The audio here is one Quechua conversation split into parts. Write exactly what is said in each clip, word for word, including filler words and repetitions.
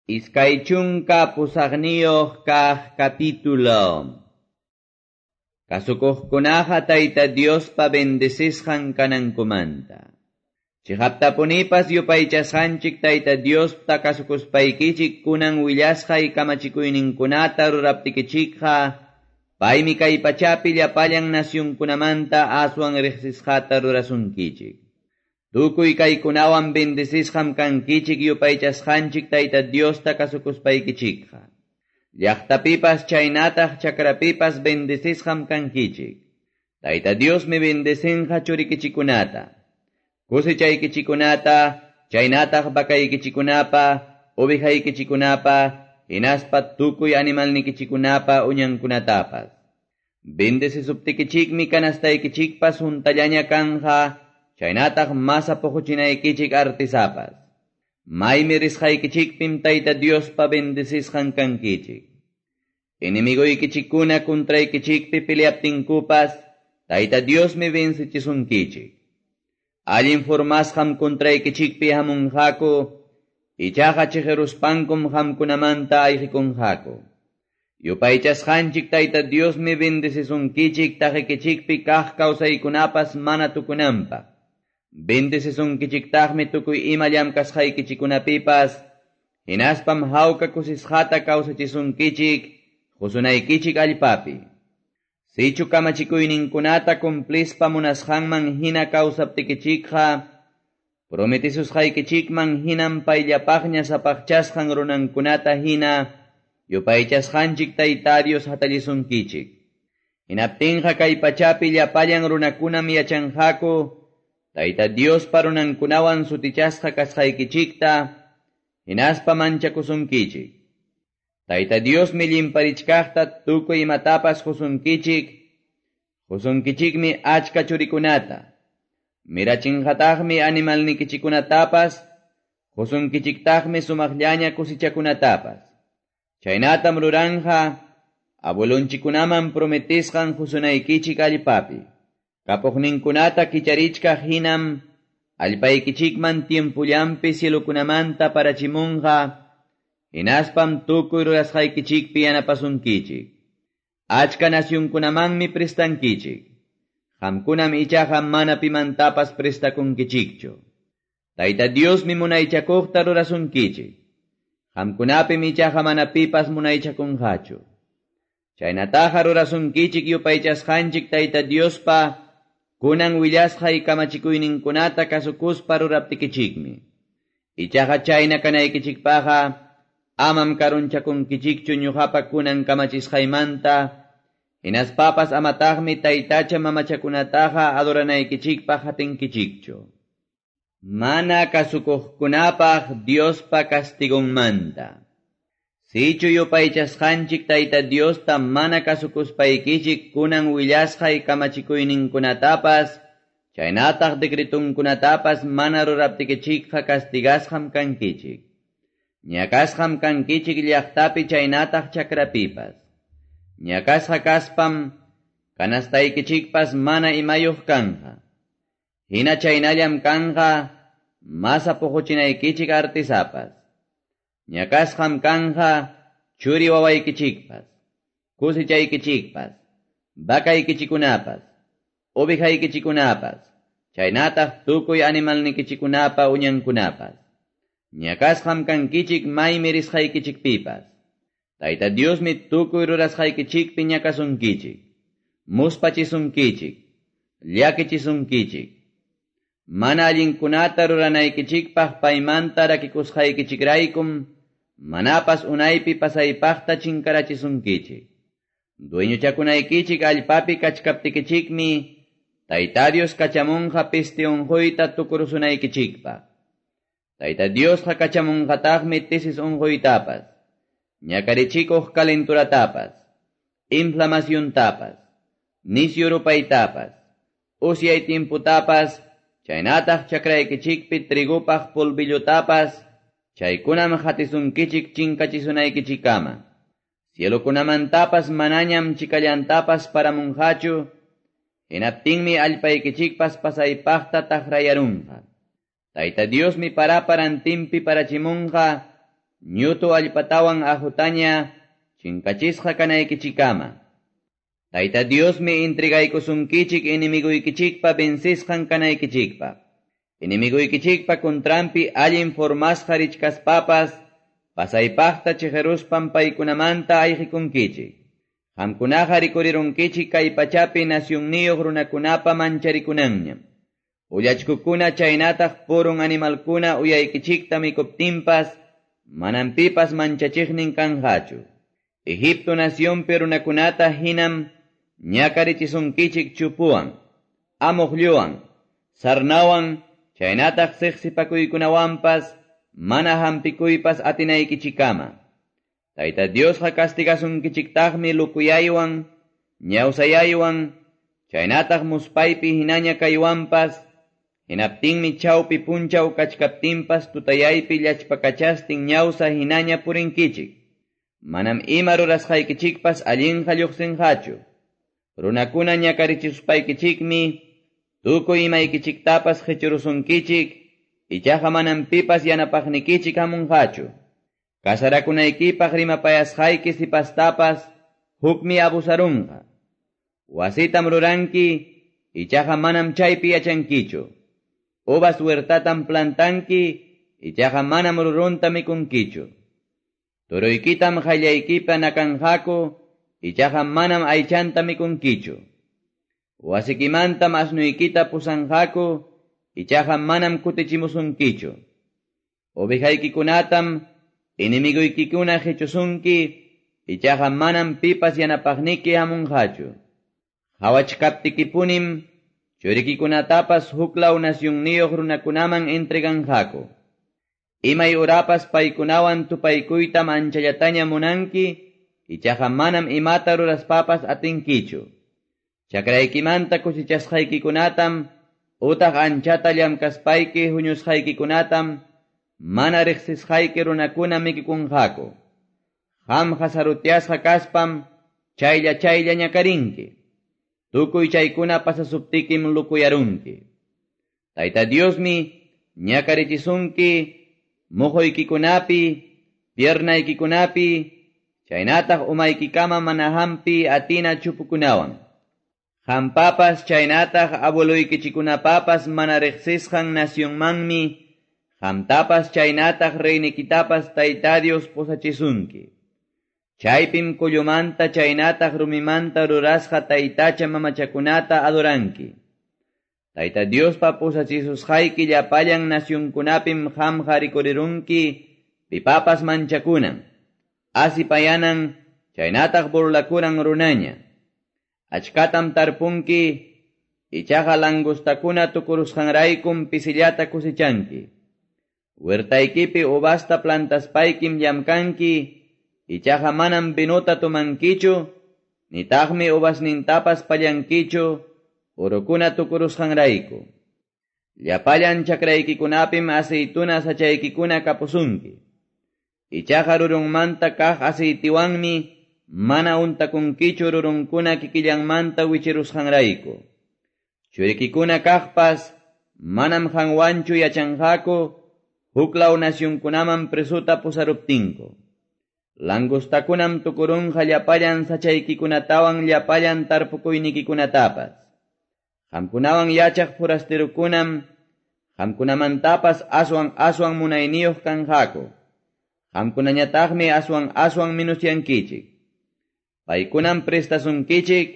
Iskay chunka pusaqniyuq kaq capítulo. Kasukuqkunaqa Tayta Diospa bendecisqan kanankumanta. Chiqaptapunipas yupaychasqanchik Tayta Diosta kasukuspaykichik kunan willasqay kamachikuyninkunata ruraptikichikqa, paymi kay pachapi llapallan nacionkunamanta aswan riqsisqata rurasunkichik. Tukuy kaykunawan bendecisqam kankichik yupaychasqanchik Tayta Diosta kasukuspaykichikqa. Llaqtapipas chaynataq chakrapipas bendecisqam kankichik. Tayta Diosmi bendecinqa churikichikunata, kusechaykichikunata, chaynataq vakaykichikunapa, ovejaykichikunapa, hinaspa tukuy animalnikichikunapa uñankunatapas. Bendecisuptikichikmi kanastaykichikpas huntallaña kanja, chaynataq masa puquchinaykichik artisapas. Maymi risqaykichikpim Tayta Diospa bendecisqan kankichik. Enemigoykichikkuna contraykichikpi peleaptinkupas, Tayta Diosmi vencechisunkichik. Allin formasqam contraykichikpi hamunqaku, ichaqa chiqiruspankum qamkunamanta ayqikunqaku. Yupaychasqanchik Tayta Diosmi bendecisunkichik taqikichikpi kaq kawsaykunapas mana tukunanpaq. Bendecisunkichiktaqmi tukuy ima llamkasqaykichikunapipas, hinaspam hawka kusisqata kawsachisunkichik, qusunaykichik allpapi. Sichu kamachikuyninkunata cumplispa munasqanman hina kawsaptikichikqa, prometisusqaykichikman hinam payllapaqña sapaqchasqan runankunata hina, yupaychasqanchik Tayta Dios hatallisunkichik. Hinaptinqa kay pachapi llapallan runakunam yachanqaku, Tayta Diospa runankunawan sutichasqa kasqaykichikta, hinaspa manchakusunkichik. Tayta Diosmi llimparichkaqta tukuy imatapas qusunkichik, qusunkichikmi achka churikunata, mirachinqataqmi animalnikichikunatapas, qusunkichiktaqmi sumaqllaña kusichakunatapas. Chaynatam ruranja, abuelonchikunaman prometisqan qusunaykichik allpapi. Kapuqninkunata kicharichkaq hinam, allpaykichikman tiempullampi cielokunamanta parachimunqa, hinaspam tukuy rurasqaykichikpi yanapasunkichik. Achka nacionkunamanmi prestankichik. Qamkunam ichaqa mana pimantapas prestakunkichikchu. Tayta Diosmi munaychakuqta rurasunkichik. Qamkunapim ichaqa mana pipas munaychakunqachu. Chaynataqa rurasunkichik yupaychasqanchik Tayta Diospa kunan willasqay kamachikuyninkunata kasukuspa ruraptikichikmi. Ichaqa chayna kanaykichikpaqa amam karunchakunkichikchu ñuqapa kunan kamachisqaymanta, hinaspapas amataqmi taytacha mamachakunataqa adoranaykichikpaq hatinkichikchu. Mana kasukuqkunapaq Diospa castigonmanta. Sichu yupaychasqanchik Tayta Diosta mana kasukuspaykichik kunan willasqay kamachikuyninkunatapas, chaynataq decretunkunatapas mana ruraptikichikqa castigasqam kankichik. Ñakasqam kankichik llaqtapi chaynataq chakrapipas. Ñakasqa kaspam kanastaykichikpas mana imayuq kanja. Hina chaynallam kanja masa puquchinaykichik artisapas. Ñakasqam kanja churi wawaykichikpas, kusichaykichikpas, vakaykichikunapas, ovejaykichikunapas, chaynataq tukuy animalnikichikunapa uñankunapas. Ñakasqam kankichik maymi risqaykichikpipas. Tayta Diosmi tukuy rurasqaykichikpi ñakasunkichik, muspachisunkichik, llakichisunkichik. Mana allinkunata ruranaykichikpaq paymanta rakikusqaykichikraykum, manapas unaypi pasaypaqta chinkarachisunkichik. Dueñochakunaykichik allpapi kachkaptikichikmi, Tayta Dios kachamunqa peste unquyta tukurusunaykichikpaq. Tayta Diosqa kachamunqataqmi tesis unquytapas, ñakarichikuq calenturatapas, inflamaciontapas, nisyu rupaytapas, usyay tiemputapas, chaynataq chakraykichikpi trigupaq polvillutapas, chaykunam hatisunkichik chinkachisunaykichikama. Cielokunamantapas manañam chikallantapas paramunqachu, hinaptinmi allpaykichikpas pasaypaqta taqrayarunqa. Tayta Diosmi paraparantinpi parachimunqa, ñutu allpatawan aqutaña chinkachisqa kanaykichikkama. Tayta Diosmi entregaykusunkichik enemigoykichikpa vencesqan kanaykichikpaq. Enemigoykichikpa contranpi allin formasqa richkaspapas, pasaypaqta chiqeruspan paykunamanta ayqikunkichik. Qamkunaqa rikurirunkichik kay pachapi nacionniyuq runakunapa mancharikunanñam. Ullachkukuna chaynataq purun animalkuna uyaykichikta mikuptinpas, manam pipas manchachiqnin kanqachu. Egipto nacionpi runakunata hinam ñakarichisunkichik chupuwan, amuqlluwan, sarnawan, chaynataq siqsipakuykunawanpas, mana hampikuypas atinaykichikama. Tayta Diosqa castigasunkichiktaqmi lukuyaywan, ñawsayaywan, chaynataq muspaypi hinaña kaywanpas, hinaptinmi chawpi punchaw kachkaptinpas tutayaypi llachpakachastin ñawsa hinaña purinkichik. Manam ima rurasqaykichikpas allinqa lluqsinqachu. Runakuna ñakarichisuspaykichikmi, tukuy imaykichiktapas qichurusunkichik, ichaqa manam pipas yanapaqnikichik hamunqachu. Casarakunaykipaq rimapayasqayki sipastapas hukmi abusarunqa. Wasitam ruranki, ichaqa manam chaypi yachankichu. Uvas huertatam plantanki, ichaqa manam rurunta mikunkichu. Turuykitam qallaykipa nakanqaku, ichaqa manam aychanta mikunkichu. Wasikimantam asnuykita pusanqaku, ichaqa manam kutichimusunkichu. Ovejaykikunatam enemigoykikuna qichusunki, ichaqa manam pipas yanapaqniki hamunqachu. Hawachkaptikipunim, churikikunatapas huklaw nacionniyuq runakunaman entreganqaku. Imay urapas paykunawan tupaykuytam anchallataña munanki, ichaqa manam imata ruraspapas atinkichu. Chakraykimanta cosechasqaykikunatam, utaq anchata llamkaspayki huñusqaykikunatam, mana riqsisqayki runakuna mikikunqaku. Qamqa sarutyasqa kaspam, chaylla chaylla ñakarinki. Tukuy chaykuna pasasuptikim lukuyarunki. Tayta Diosmi ñakarichisunki muquykikunapi, piernaykikunapi, chaynataq umaykikama mana hampi atina chupukunawan. Qampapas chaynataq abueluykichikunapapas mana riqsisqan nacionmanmi, qamtapas chaynataq reynikitapas Tayta Dios pusachisunki. Chaypim kullumanta chaynataq rumimanta rurasqa taytacha mamachakunata adoranki. Tayta Diospa pusachisusqayki llapallan nacionkunapim qamqa rikurirunki pipapas manchakunan, asipayanan, chaynataq burlakunan runaña. Achkatam tarpunki, ichaqa langostakuna tukurusqanraykum pisillata cosechanki. Huertaykipi uvasta plantaspaykim llamkanki, ichaqa manam vinota tomankichu, nitaqmi uvasnintapas pallankichu, urukuna tukurusqanrayku. Llapallan chakraykikunapim aceituna sachaykikuna kapusunki. Ichaqa rurunmanta kaq aceitiwanmi mana untakunkichu rurunkuna kikillanmanta wichirusqanrayku. Churikikuna kaqpas manam qanwanchu yachanqaku huklaw nacionkunaman presuta pusaruptinku. Langostakunam tukurunqa llapallan sachaykikunatawan llapallan tarpukuynikikunatapas. Qamkunawan yachaq forasterokunam qamkunamantapas aswan aswan munayniyuq kanqaku. Qamkunañataqmi aswan aswan minusyankichik. Paykunam prestasunkichik,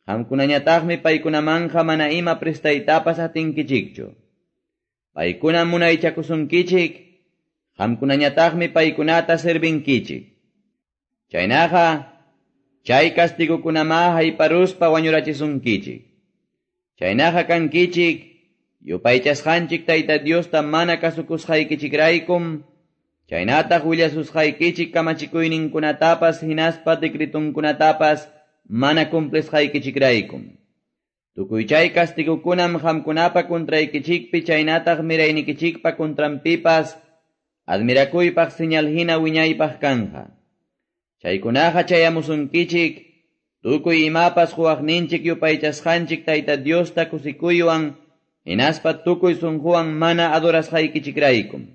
qamkunañataqmi paykunamanqa mana ima prestaytapas atinkichikchu. Paykunam munaychakusunkichik, qamkunañataqmi paykunata servinkichik. Chaynaqa, chay kastigukunama hayparuspa wañurachisunkichik. Chaynaqa kankichik, yupaychasqanchik Tayta Diosta mana kasukusqaykichikraykum, chaynataq willasusqaykichik kamachikuyninkunatapas hinaspa decretunkunatapas mana cumplisqaykichikraykum. Tukuy chay kastigukunam qamkunapa contraykichikpi chaynataq miraynikichikpa contranpipas admirakuypaq señal hina wiñaypaq kanja. Chaykunaqa chayamusunkichik, tukuy imapas huwaqninchik yupaychasqanchik Tayta Diosta kusikuywan, hinaspa tukuy sunquwan mana adorasqaykichikraykum.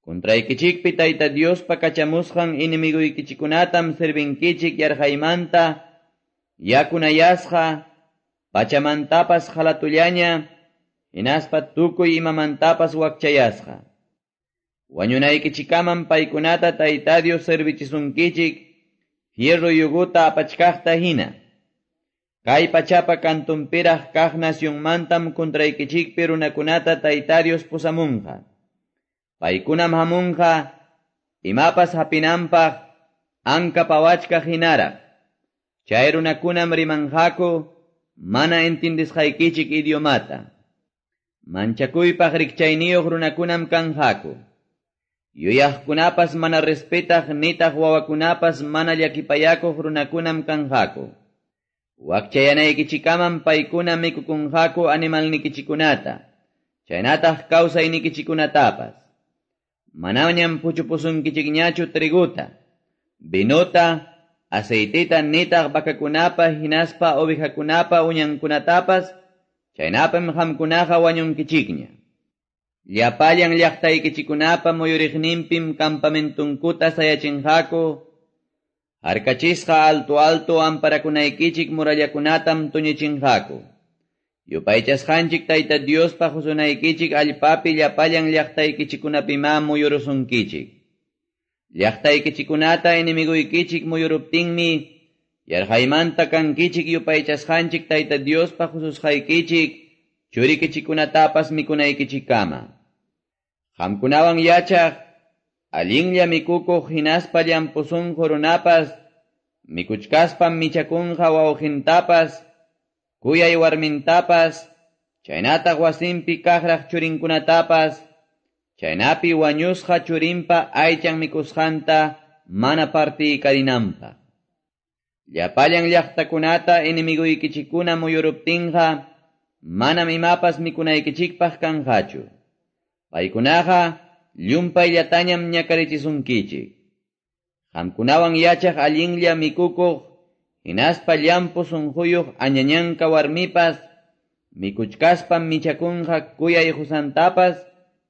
Contraykichikpi Tayta Diospa kachamusqan enemiguykichikkunatam servinkichik yarqaymanta, yakunayasqa, pachamantapas qalatullaña, hinaspa tukuy imamantapas wakchayasqa. Wañunaykichikaman paykunata Tayta Dios servichisunkichik, fierro yuguta apachkaqta hina. Kay pachapa kantunpiraq kaq nacionmantam contraykichikpi runakunata Tayta Dios pusamunqa. Paykunam hamunqa, imapas hapinanpaq, anka pawachkaq hinaraq. Chay runakunam rimanqaku, mana entendisqaykichik idiomata. Manchakuypaq rikchayniyuq runakunam kanqaku. Yuyaqkunapas mana respetaq nitaq wawakunapas mana llakipayakuq runakunam kanqaku. Wakchayanaykichikaman paykuna mikukunqaku animalnikichikunata, chaynataq kawsaynikichikunatapas. Manañam puchupusunkichikñachu triguta, vinota, aceitita nitaq vacakunapa hinaspa ovejakunapa uñankunatapas, chaynapim qamkunaqa wañunkichikña. Llapallan llaqtaykichikunapa muyuriqninpim campamentunkuta sayachinqaku, harkachisqa alto alto amparakunaykichik murallakunatam tuñichinqaku. Yupaychasqanchik Tayta Diospa qusunaykichik allpapi llapallan llaqtaykichikunapimá muyurusunkichik. Llaqtaykichikunata enemiguykichik muyuruptinmi, yarqaymanta kankichik yupaychasqanchik Tayta Diospa qususqaykichik, churikichikunatapas mikunaykichikkama. Qamkunawan yachaq, allinlla mikukuq hinaspa llampu sunqu runapas, mikuchkaspam michakunqa wawqintapas, kuyay warmintapas, chaynataq wasinpi kaqraq churinkunatapas, chaynapi wañusqa churinpa aychan mikusqanta mana partiykarinanpaq. Llapallan llaqtakunata enemiguykichikkuna muyuruptinqa, manam imapas mikunaykichikpaq kanqachu. Paykunaqa llumpayllatañam ñakarichisunkichik. Qamkunawan yachaq allinlla mikukuq, hinaspa llampu sunquyuq añañanka warmipas, mikuchkaspam michakunqa kuyay qusantapas,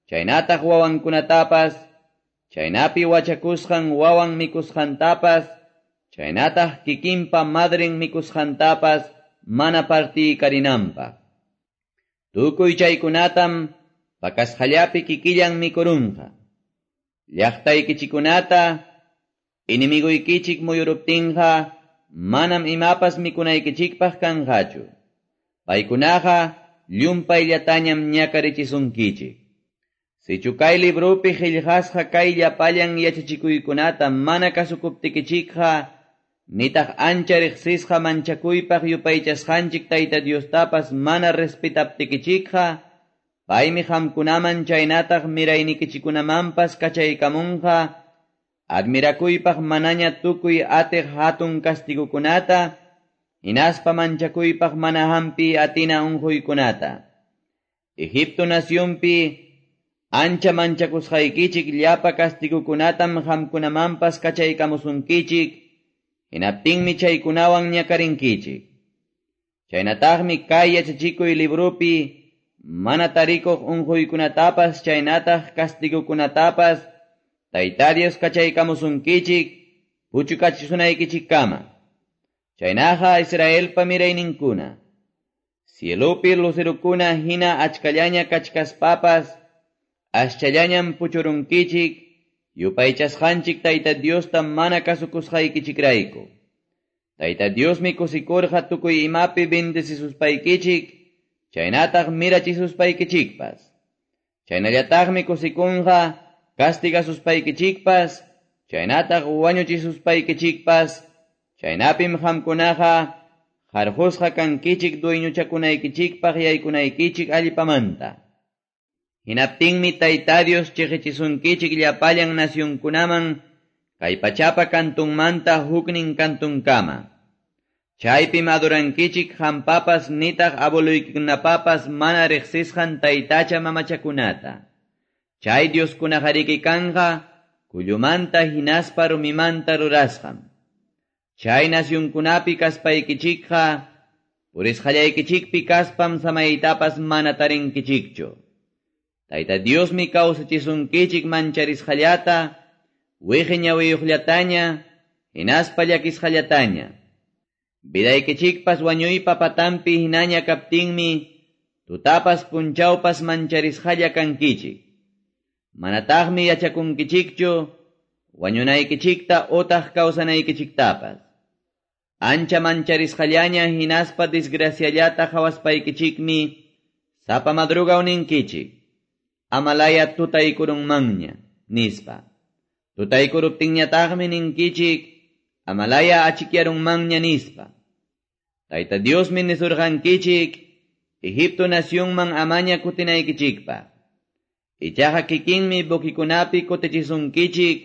chaynataq wawankunatapas, chaynapi wachakusqan wawan mikusqantapas, chaynataq kikinpa madren mikusqantapas mana partiykarinanpaq. Tukuy chaykunatam pakasqallapi kikillan mikurunqa. Llaqtaykichikunata enemiguykichik muyuruptinqa, manam imapas mikunaykichikpaq kanqachu. Paykunaqa llumpayllatañam ñakarichisunkichik. Sichu kay librupi qillqasqa kay llapallan yachachikuykunata mana kasukuptikichikqa, nitaq ancha riqsisqa manchakuypaq yupaychasqanchik Tayta Diostapas mana respetaptikichikqa, paymi qamkunaman chaynataq miraynikichikunamanpas kachaykamunqa, admirakuypaq manaña tukuy atiq hatun kastigukunata, hinaspa manchakuypaq mana hampi atina unquykunata. Egipto nacionpi ancha manchakusqaykichik llapa kastigukunatam qamkunamanpas kachaykamusunkichik, hinaptinmi chaykunawan ñakarinkichik. Chaynataqmi kay yachachikuy librupi mana tarikuq unquykunatapas chaynataq kastigukunatapas Tayta Dios kachaykamusunkichik puchukachisunaykichikkama. Chaynaqa Israelpa mirayninkuna, cielopi lucerukuna hina achkallaña kachkaspapas, aschallañam puchurunkichik, yupaychasqanchik Tayta Diosta mana kasukusqaykichikrayku. Tayta Diosmi kusikurqa tukuy imapi bendecisuspaykichik, chaynataq mirachisuspaykichikpas. Chaynallataqmi kusikunqa castigasuspaykichikpas, chaynataq wañuchisuspaykichikpas, chaynapim qamkunaqa qarqusqa kankichik dueñochakunaykichikpaq yaykunaykichik allpamanta. Hinaptinmi Tayta Dios chiqichisunkichik llapallan nacionkunaman, kay pachapa kantunmanta huknin kantunkama. Chaypim adorankichik hampapas nitaq abueluykikunapapas mana riqsisqan taytacha mamachakunata. Chay Dioskunaqariki kanqa kullumanta hinaspa rumimanta rurasqam. Chay nacionkunapi kaspaykichikqa purisqallaykichikpi kaspam samaytapas mana tarinkichikchu. Tayta Diosmi kawsachisunkichik mancharisqallata, wiqi ñawiyuqllataña, hinaspa llakisqallataña. Vidaykichikpas wañuypa patanpi hinaña kaptinmi, tutapas punchawpas mancharisqalla kankichik. Manataqmi yachakunkichikchu, wañunaykichikta utaq kawsanaykichiktapas. Ancha mancharisqallaña hinaspa desgraciallata qawaspaykichikmi, sapa madrugaw ninkichik. Amalaya tutaykurunmanña, nispa. Tutaykuruptinñataqmi ninkichik, amalaya achikyarunmanña nispa. Tayta Diosmi nisurqankichik, Egipto nacionman amaña kutinaykichikpaq. Ichaqa kikinmi buquikunapi kutichisunkichik,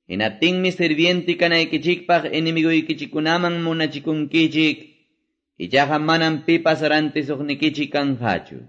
hinaptinmi sirviente kanaykichikpaq enemiguykichikkunaman munachikunkichik, ichaqa manam pipas rantisuqnikichik kanqachu.